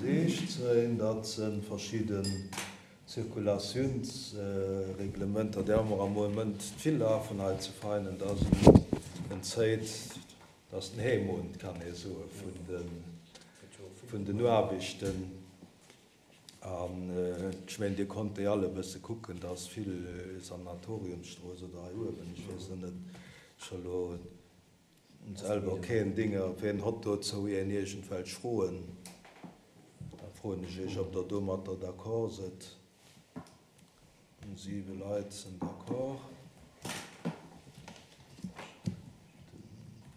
16, dat se verschidden Zirkulatiounsreglementer, déi hu mer am Moment vill lafen hei ze feinen, dat ass en Zéit, dat ass den Heemond, kann ee soen, vun den Aarbechten. An ech mengen, Dir konnt déi all e bësse kucken, da ass vill Sanatoriumsstrooss oder hei uewen, ech weess elo net, ech hu elo selwer keen Dinger, wien hott dozou een iergendwelch Froen? Da froen ech Iech, ob Der domatter d'accord sidd. 7 Leit sinn d'accord.